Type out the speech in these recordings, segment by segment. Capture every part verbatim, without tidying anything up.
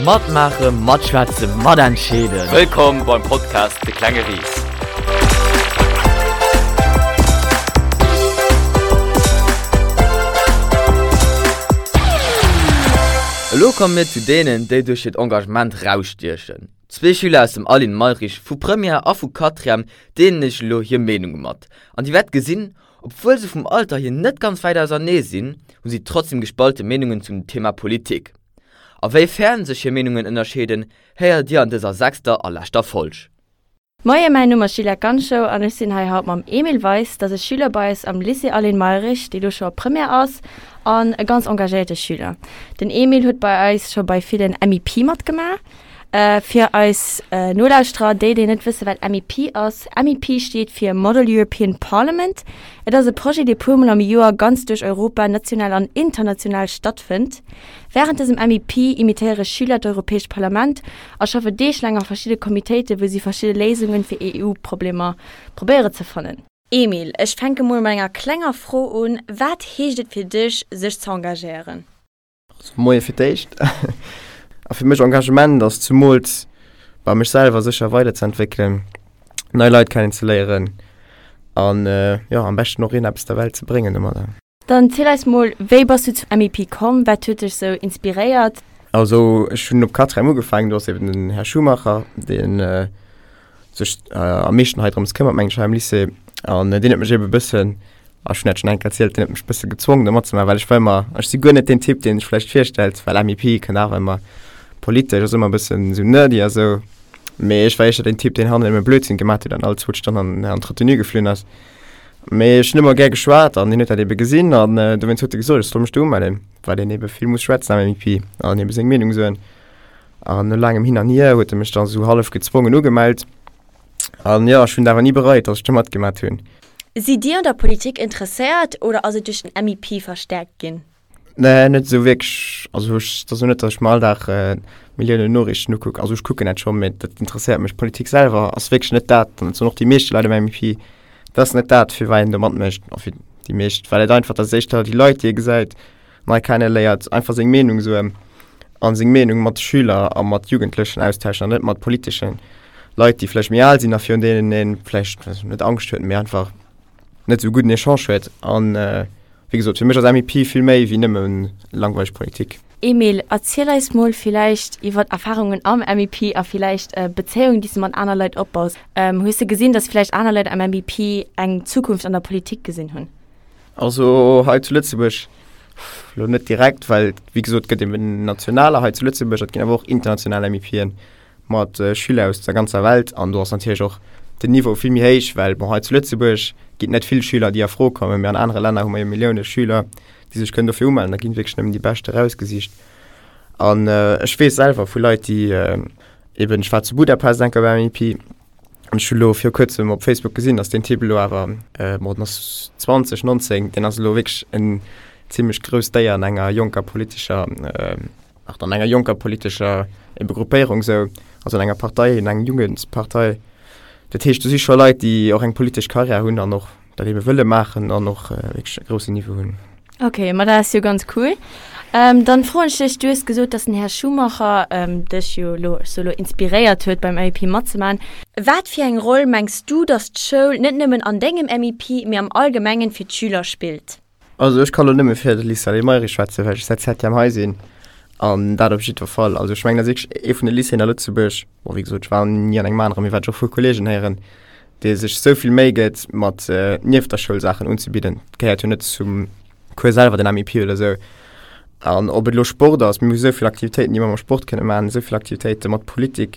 Matmaachen, matschwätzen, matentscheeden. Wëllkomm beim Podcast De klenge Ris. Elo komme mir zu deenen, déi duerch hiert Engagement rausstiechen. Zwee Schüler aus dem Aline Mayrisch vu Première a vu Quatrième deelen iech elo hir Meenunge mat. An dir wäert gesinn, obwuel se vum Alter hier net ganz wäit ausernee sinn, hu si trotzdem gespalte Meenungen zum Thema Politik. A wéi fern sech hir Meenungen ënnerscheeden, héiert dir an dëser sechster a leschter Folg. Moien, mäin Numm ass Sheila Ganschow an ech sinn hei haut mam Emil Weis, dat ass e Schüler bei eis am Lycée Aline Mayrisch, dee lo scho a Première ass an e ganz engagéierte Schüler. Den Emil huet bei eis scho bei villen MEP matgemaach. Fir eis Nolauschterer, déi déi net wësse wat MEP ass, MEP steet fir Model European Parliament. Et ass e Projet dee puer mol am Joer ganz duerch Europa, national an international stattfënnt. Wärend dësem MEP imitéiere Schüler d'Europäescht Parlament a schaffe deeglaang a verschidde Comitéite wou si verschidde Léisunge fir EU-Problemer probéiere ze fannen. Emil, ech fänke mol mat enger klenger Fro un, Wat heescht et fir dech, sech ze engagéieren? Also Moie fir d'éischt. A fir mech Engagement ass zumools bei mech selwer sécher weiderzeentwéckelen, nei Leit kennenzeléieren an jo am beschten och een eppes der Welt ze bréngen domadder. Dann ziel eis mol, wéi bass du zum MEP komm, wat huet dech sou inspiréiert? Also ech hunn op Quatrième ugefaangen, do ass eben den Här Schumacher, deen sech am meeschten hei drëms këmmert meng ech hei am Lycée an deen huet mech eben e bëssen, ech hunn dat schonn eng Kéier erzielt, deen huet mech e bësse gezwongen do matzemaachen, well ech war ëmmer, ech si guer net deen Typ deen sech vläicht virstellt, well MEP kënnt awer ëmmer politesch, ass ëmmer e bëssen esou nerdy a sou, mee ech war éischter deen Typ deen hannen ëmmer Blödsinn gemaat huet an all zwou Stonnen an d'Retenue geflunn ass. Mee ech hunn ëmmer gär geschwat an hien huet dat ebe gesinn an dowéinst huet e gesot ech soll mech do umellen, well een ebe vill muss schwätzen am MEP an ebe seng Meenung soen. An no laangem Hin an Hier huet e mech dann esou hallef gezwongen ugemellt. An jo, ech hunn et awer ni bereit, dass ech do matgemat hunn. Sidd Dir un der Politik interesséiert oder ass et duerch den MEP verstäerkt ginn? Nee, net esou wierklech. Also ech, et ass elo net, dass ech mer all Dag Milliounen Noriichten ukucken. Also ech kucken dat schonn, mee dat interesséiert mech. D'Politik selwer ass wierklech net dat, an dat soen och déi meeschte Leit am MEP, dat ass net dat, fir wat een do matmécht, a fir déi meescht, well et einfach, dat ass éischter déi Leit, déi ee gesäit, nei kenneléiert, einfach seng Meenung soen a seng Meenung mat Schüler a mat Jugendlechen austauschen an net mat politeschen Leit, déi vläicht méi al sinn a virun deenen ee vläicht net Angscht huet, mee einfach net esou gudden Echange huet. An wéi gesot, fir mech ass MEP vill méi wéi nëmme langweileg Politik. Emil, erziel eis mol villäicht iwwer Erfarungen am MEP a villäicht Bezéiungen, déi s de mat aner Leit opbaus. Hues de gesinn, dass villäicht aner Leit am MEP eng Zukunft an der Politik gesinn hunn? Also hei zu Lëtzebuerg elo net direkt, well wéi gesot, et gëtt eben nationaler hei zu Lëtzebuerg, et ginn awer och international MEPen mat Schüler aus der ganzer Welt an do ass natierlech och den Niveau vill méi héich, well bon hei zu Lëtzebuerg ginn et net vill Schüler, déi a Fro kommen, mee an anere Länner hu mer jo Millioune Schüler, déi sech kënnen dofir umellen, da ginn wierklech nëmmen déi Bescht erausgesicht. An ech weess selwer vu Leit, déi eben, ech war zu Budapest eng Kéier beim MEP an ech hu lo viru kuerzem op Facebook gesinn, datt deen Typ elo awer, bon den ass zwanzeg, nonzéng, deen ass elo wierklech en zimmlech grousst Déier an enger jonker politescher, ach an enger jonker politescher ebe Gruppéierung esou, also an enger Partei, an enger Jugendpartei. Dat heescht, do si scho Leit, déi och eng politesch Karriär hunn an och dat ebe wëlle maachen an och wierklech e groussen Niveau hunn. Ok, ma dat ass jo ganz cool. Dann froen ech dech, du hues gesot, dass den Här Schumacher dech jo elo, ech soe lo, inspiréiert huet beim MEP matzemaachen. Wat fir eng Roll mengs du, dass d'Schoul net nëmmen an dengem MEP, mee am Allgemengen fir d'Schüler spillt? Also ech ka lo nëmme fir de Lycée Aline Mayrisch schwätzen, well ech säit Septième hei sinn an dat op jiddwer Fall. Also ech mengen dat ass wierklech ee vun de Lycéeën a Lëtzebuerg, bon wéi gesot ech war ni an engem aneren, mee wat ech och vu Kolleegen héieren, dee sech esou vill Méi gëtt mat nieft der Schoul Saachen unzebidden. Dat gehéiert jo net zum Cours selwer, den MEP oder esou. An ob et elo Sport ass, mir hu esou vill Aktivitéiten, déi mer mam Sport kënne maachen, esou vill Aktivitéite mat Politik,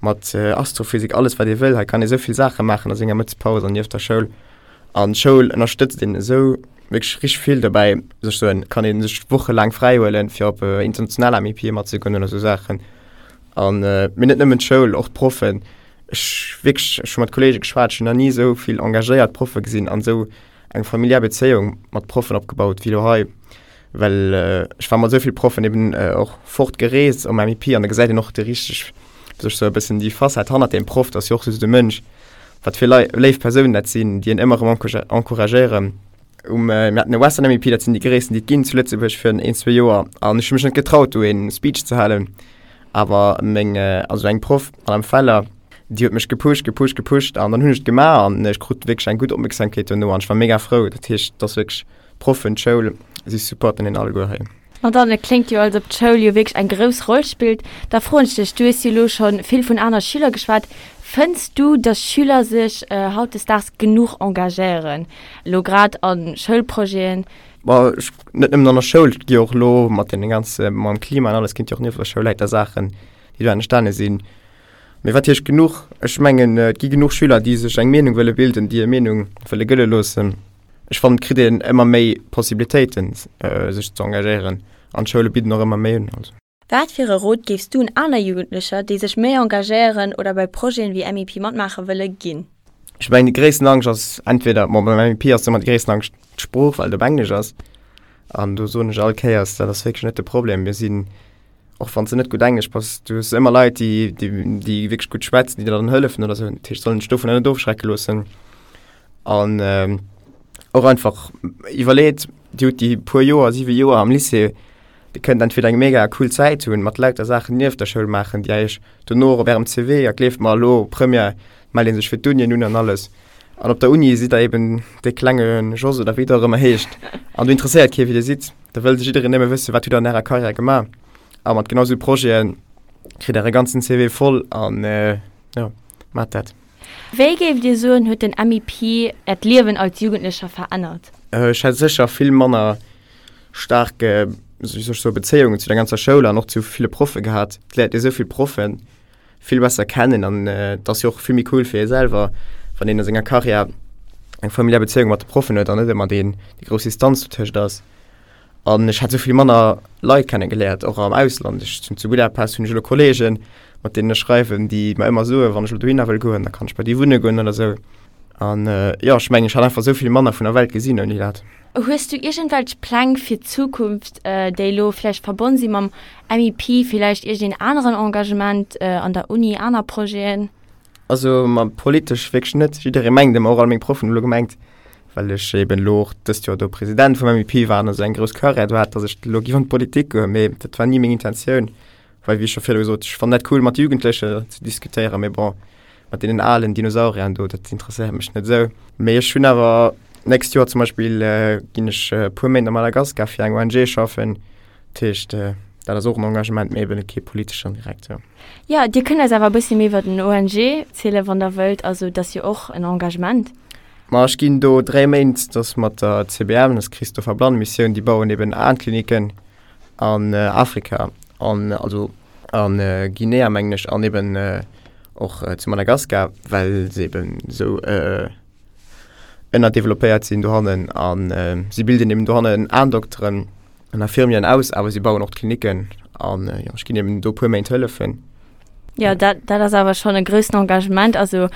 mat Astrophysik, alles wat ee wëll. Hei kann ee esou vill Saache maachen a senger Mëttespaus an nieft der Schoul. An d'Schoul ënnerstëtzt een esou wierklech richteg vill dobäi. Sech soen, kann ee sech wochelaang fräi huelen, fir op international MEPe matzegoen oder esou Saachen. An mee net nëmmen d'Schoul, och d'Proffen. Ech wierklech, ech hu mat Kolleege geschwat, ech hunn nach ni esou vill engagéiert Proffe gesinn an esou eng familiär Bezéiung mat Proffen opgebaut wéi elo hei. Well ech war mat esou vill Proffen eben och fort gereest um MEP an da gesäit een och déi richteg, wéi soll ech soen, e bëssen déi Facette hannert deem Proff, dat ass jo och just e Mënsch, wat fir lei léif Persounen dat sinn, déi een ëmmer erëm encouragéieren. Um, mir haten e Western MEP, dat sinn déi gréissten, déi et ginn zu Lëtzebuerg, virun een, zwee Joer an ech hu mech net getraut do een Speech ze halen. Awer meng, also eng Proff, d'Madame Feller, déi huet mech gepusht, gepusht, gepusht an dann hunn ech et gemaach an ech krut wierklech eng gutt Opmierksamkeet dono an ech war mega frou. Dat heescht, et ass wierklech d'Proffen, d'Schoul, si supporten een alleguer hei. Ma dann, et kléngt jo, als ob d'Schoul jo wierklech eng grouss Roll spillt. Da froen ech dech, du hues jo elo scho vill vun aner Schüler geschwat, fënns du, datt Schüler sech hautdesdaags genuch engagéieren, elo grad a Schoulprojeten? Ma ech, net nëmmen an der Schoul, et gi jo och elo mat deene ganze, mam Klima an alles, ginn et jo och nieft der Schoul läiter Saachen, déi do entstane sinn. Mee wat heescht genuch? Ech mengen, et gi genuch Schüler, déi sech eng Meenung wëlle bilden, déi hir Meenung wëlle gëlle loossen. Ech fannen, et kritt een ëmmer méi Possibilitéiten, sech ze engagéieren an d'Schoule bidden och ëmmer méi un. Also. Wat fir e Rot géifs du un aner Jugendlecher, déi sech méi engagéieren oder bei Projeten wéi M I P matmaache wëlle, ginn? Ech mengen, déi gréissten Angscht ass entweder, bon, beim M I P ass ëmmer déi gréissten Angscht d'Sprooch, well et op Englesch ass. An do soen ech all Kéiers, dat ass wierklech net de Problem. Mir sinn, och wann s de net gutt Englesch bass, du hues ëmmer Leit, déi, déi, déi wierklech gutt schwätzen, déi der dann hëllefen oder esou. Dat heescht, soll een sech dovunner net ofschrecke loossen. An och einfach iwwerleet, Dir hutt déi puer Joer, siwe Joer am Lycée, Dir kënnt entweder eng mega cool Zäit hunn, mat lauter Saachen nieft der Schoul maachen, déi Iech dono och op Ärem C V, a gleeft mer elo, Première mellt ee sech fir d'Unien un an alles. An op der Uni sidd Der eben dee klenge Jos oder wéi Der och ëmmer heescht an do interesséiert kee wéi Dir sidd. Da wëll jiddereen nëmme wëssen, wat hutt Der an Ärer Karriär gemaach. A mat genau esou Projete kritt Der e ganzen C V voll an jo, maacht dat. Wéi géift Dir soen, huet den M I P Äert Liewen als Jugendlecher verännert? Ech hätt sécher vill manner staark, wéi soll ech soen, Bezéiungen zu der ganzer Schoul an och zu ville Proffe gehat. Et léiert ee sou vill Proffe vill besser kennen an et ass jo och vill méi cool fir ee selwer, wann een a senger Karriär eng familiär Bezéiung mat de Proffen huet an net ëmmer deen, déi grouss Distanz dotëscht ass. An ech hätt esou vill manner Leit kennegeléiert, och am Ausland. Ech sinn zu Budapest, hunn ech elo Kolleegen, mat deenen ech schreiwen, déi mer ëmmer soen, wann ech elo dohinner wëll goen, da kann ech bei déi wunne goen oder esou. An jo, ech mengen, ech hätt einfach esou vill manner vun der Welt gesinn ouni dat. Hues du iergendwelch Pläng fir d'Zukunft, déi elo vläicht verbonn si mam M I P, villäicht iergendeen aneren Engagement an der Uni, aner Projeten? Also ma politesch wierklech net. Jidderee mengt ëmmer, och all meng Proffen hu lo gemengt, well ech eben elo och dëst Joer do President vum M I P war an esou eng grouss Karriär do hat, datt ech elo géif an d'Politik goen. Mee dat war ni meng Intentioun, well wéi ech scho virdu gesot, ech fannen dat cool mat Jugendleche ze diskutéieren, mee bon, mat deenen alen Dinosauriern do, dat interesséiert mech net esou. Mee ech hunn awer d'nächst Joer zum Beispill ginn ech e puer Méint a Madagaskar fir eng O N G schaffen. Dat heescht, dat ass och en Engagement, mee eben kee politeschen direkt, jo. Jo, Dir kënnt eis awer e bëssi méi iwwer den O N G zielen, wann Der wëllt. Also et ass jo och en Engagement. Ma ech ginn do dräi Méint, dat ass mat der C B M, dat ass Christopher Blann Missioun, déi bauen eben Aenkliniken an Afrika, an also an Guinea mengen ech, an eben och zu Madagaskar, well se eben esou ënnerdeveloppéiert sinn dohannen. A si bilden eben dohannen Aendokteren an Infirmieren aus, awer si bauen och d'Kliniken an jo, ech ginn eben do e puer Méint hëllefen. Jo, dat, dat ass awer schonn e groussen Engagement, also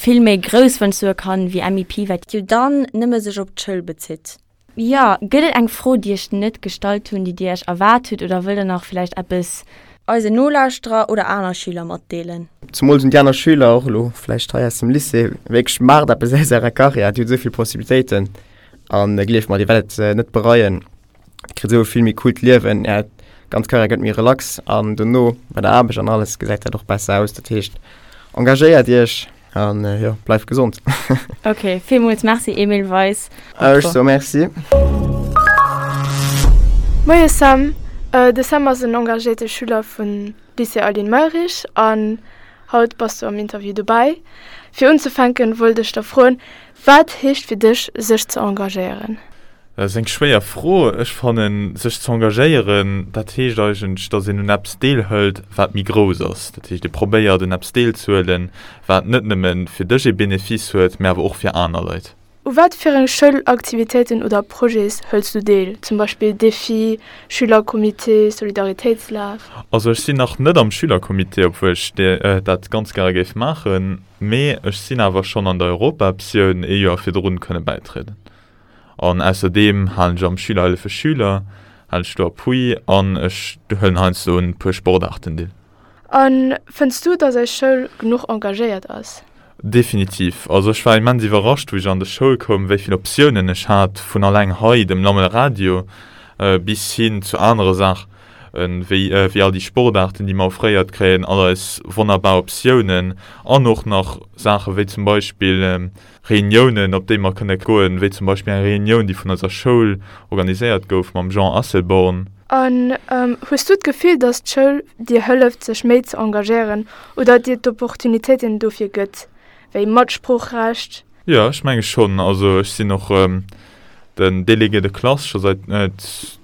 vill méi grouss, wann ech soe kann, wéi M I P, wat jo dann nëmme sech op d'Schoul bezitt. Jo, gëtt et eng Fro, déi ech net gestallt hunn, déi Dir Iech erwaart hutt, oder wëllt Der nach vläicht eppes eisen Nolauschterer oder aner Schüler matdeelen? Zemools un déi aner Schüler, och elo vläicht hei aus dem Lycée, wierklech, maacht eppes aus Ärer Karriär, Dir hutt esou vill Possibilitéiten an gleeft mer, Dir wäert et net bereien. Dir kritt esou e vill méi coolt Liewen, Är ganz Karriär gëtt méi relax an dono bei der Aarbecht an alles gesäit dat och besser aus. Dat heescht, engagéiert Iech an jo, bleift gesond. Ok, villmools merci Emile Weis. Ech soe merci. Moie Sam, de Sam ass en engagéierte Schüler vum Lycée Aline Mayrisch an haut bass du am Interview dobäi. Fir unzefänken wollt ech der froen, wat heescht fir dech sech ze engagéieren? Dat ass eng schwéier Fro. Ech fannen, sech ze engagéieren, dat heescht eigentlech, datt een un eppes deelhëlt, wat méi grouss ass. Dat heescht, ee probéiert un eppes deelzehuelen, wat net nëmme fir dech ee Benefice huet, mä awer och fir aner Leit. U wat fir eng Schoulaktivitéiten oder Projets hëls du deel, zum Beispill Defi, Schülercomité, Solidaritéitslaf? Also ech sinn nach net am Schülercomité, obwuel ech dat ganz gäre géif maachen, mee ech sinn awer schonn an der Europaoptioun ee Joer virdrun kënne bäitrieden. An ausserdeem halen ech am Schülerhëllefe Schüler, halen ech do Appui an ech huelen heiansdo un e puer Sportaarten deel. A fënns du, datt eis Schoul genuch engagéiert ass? Definitiv. Also ech war immens iwwerrascht, wou ech an de Schoul koum, wéi vill Optiounen ech hat, vun alleng hei dem Lammel Radio bis hin zu anere Saach. wéi wéi all déi Sportaarten, déi mer offréiert kréien, all eis wonnerbar Optiounen an och nach Saache wéi zum Beispill Reuniounen, op déi mer kënne goen, wéi zum Beispill eng Reunioun, déi vun eiser Schoul organiséiert gouf mam Jean Asselborn. An hues du d'Gefill, datt d'Schoul dir hëlleft, sech méi ze engagéieren oder dir d'Opportunitéiten dofir gëtt, wéi Matsproochrecht? Jo, ech menge schonn. Also ech sinn och den Délégué de classe scho säit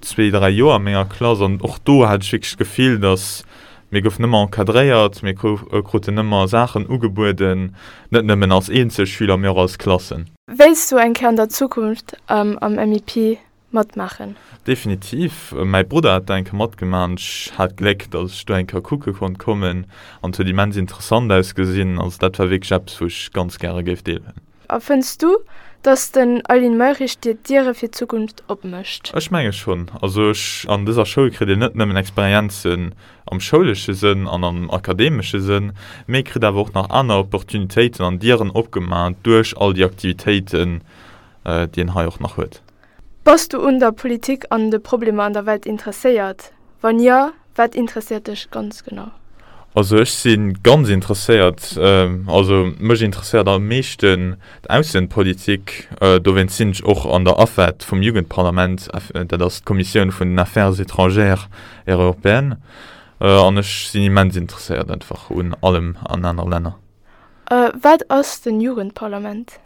zwee, dräi Joer a menger Klass an och do hat ech wierklech d'Gefill, datt mir goufen ëmmer encadréiert, mir kruten ëmmer Saachen ugebueden, net nëmmen als eenzel Schüler, mee och als Klassen. Wéilts du eng Kéier an der Zukunft am MIP matmaachen? Definitiv. Mäi Brudder hat do eng Kéier matgemaach an ech hat d'Gléck, datt ech do eng Kéier kucke konnt kommen an et huet immens interessant ausgesinn. Also dat war wierklech eppes, wou ech ganz gäre géif deelhuelen. A fënns du, dass den Eileen Mayrisch dir d'Diere fir d'Zukunft opmécht? Ech menge schonn. Also ech, an dëser Schoul kritt een net nëmmen Experienzen am schoulesche Sënn an am akademesche Sënn, mee kritt awer och nach aner Opportunitéiten an Dieren opgemaach duerch all déi Aktivitéiten, déi een hei och nach huet. Bass du un der Politik an de Problemer an der Welt interesséiert? Wann jo, wat interesséiert dech ganz genau? Also ech si ganz interesséiert, also mech interesséiert am meeschten d'Aussenpolitik. Dowéinst sinn ech och an der AFET vum Jugendparlament, dat ass d'Kommissioun vun den Affaires étrangères et européennes. An ech sinn immens interesséiert einfach un allem an aner Länner. Wat ass den Jugendparlament?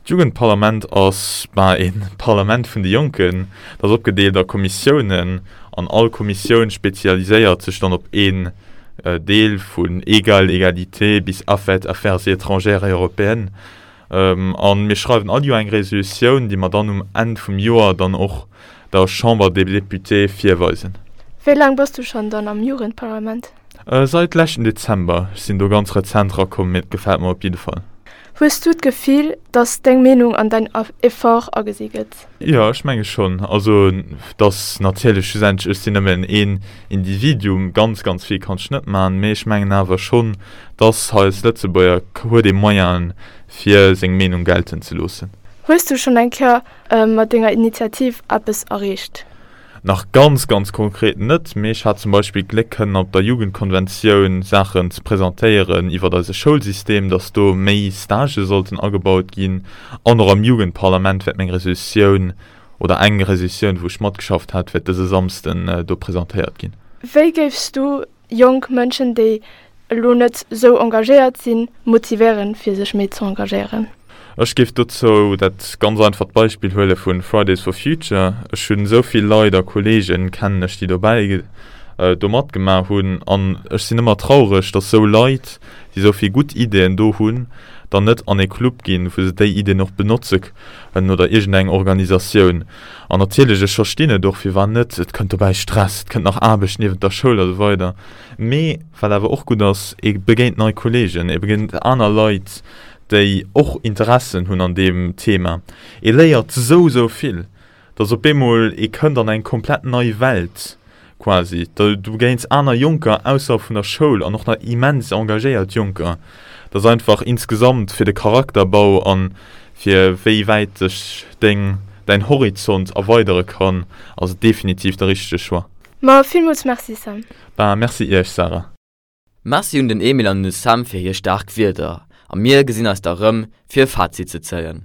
D'Jugendparlament ass, bah, ee Parlament vun de Jonken. Dat ass opgedeelt a Kommissiounen an all Kommissioun spezialiséiert sech dann op een Deel, vun Egal, Egalité bis AFET, Affaires étrangères et européennes. A mir schreiwen all Joer eng Resolutioun, déi mer dann um Enn vum Joer dann och der Chambre des Députés virweisen. Wéi laang bass du schonn dann am Jugendparlament? Sait leschten Dezember. Ech sinn do ganz rezent rakomm, mee et gefält mer op jidde Fall. Hues du d'Gefill, dass deng Meenung an däin Effort agesi gëtt? Jo, ech menge schonn. Also, dass natierlech schlussendlech, ech sinn nëmmen een Individuum, ganz, ganz vill kann ech net maachen, mee ech mengen awer schonn, dass hei als Lëtzebuerger huet ee Moyenen, fir seng Meenung gelten ze loossen. Hues du schonn eng Kéier mat denger Initiativ eppes erreecht? Nach ganz, ganz konkret net, mee ech hat zum Beispill d'Gléck kënnen op der Jugendkonventioun Saachen ze presentéieren iwwert eise Schoulsystem, dass do méi Stagë sollten agebaut ginn. An och am Jugendparlament wäert meng Resolutioun oder eng Resolutioun, wou ech matgeschafft hat, wäert dëse Samsden do presentéiert ginn. Wéi géifs du jonk Mënschen, déi elo net sou engagéiert sinn, motivéieren, fir sech méi ze engagéieren? Ech géif dozou dat ganz einfacht Beispill huele vu Fridays for Future. Ech hunn esou vill Leit a Kolleegen, kennen ech, déi dobäi do matgemaach hunn. An ech sinn ëmmer traureg, dass esou Leit, déi esou vill gutt Ideeën do hunn, dann net an e Club ginn, wou se déi Ideeën och benotze kënnen oder iergendeng Organisatioun. An natierlech, ech verstinn et och, firwat net, et kënnt dobäi Stress, et kënnt nach Aarbecht niewent der Schoul a sou weider. Mee wat awer och gutt ass, ee begéint nei Kolleegen, ee begéint aner Leit, déi och Interessen hunn an deem Thema. Ee léiert sou, sou vill, dass op eemol ee kënnt an eng komplett nei Welt quasi. Du begéins aner Jonker ausserhalb vun der Schoul an och nach immens engagéiert Jonker. Dat ass einfach insgesamt fir de Charakterbau an fir wéi wäit sech deng, däin Horizont erweidere kann, ass et definitiv de richtege Choix. Ma villmools Merci Sam. Bah, merci iech Sarah. Merci un den Emil an un de Sam fir hir staark Wierder a mir gesinn eis da rëm fir e Fazit ze zéien.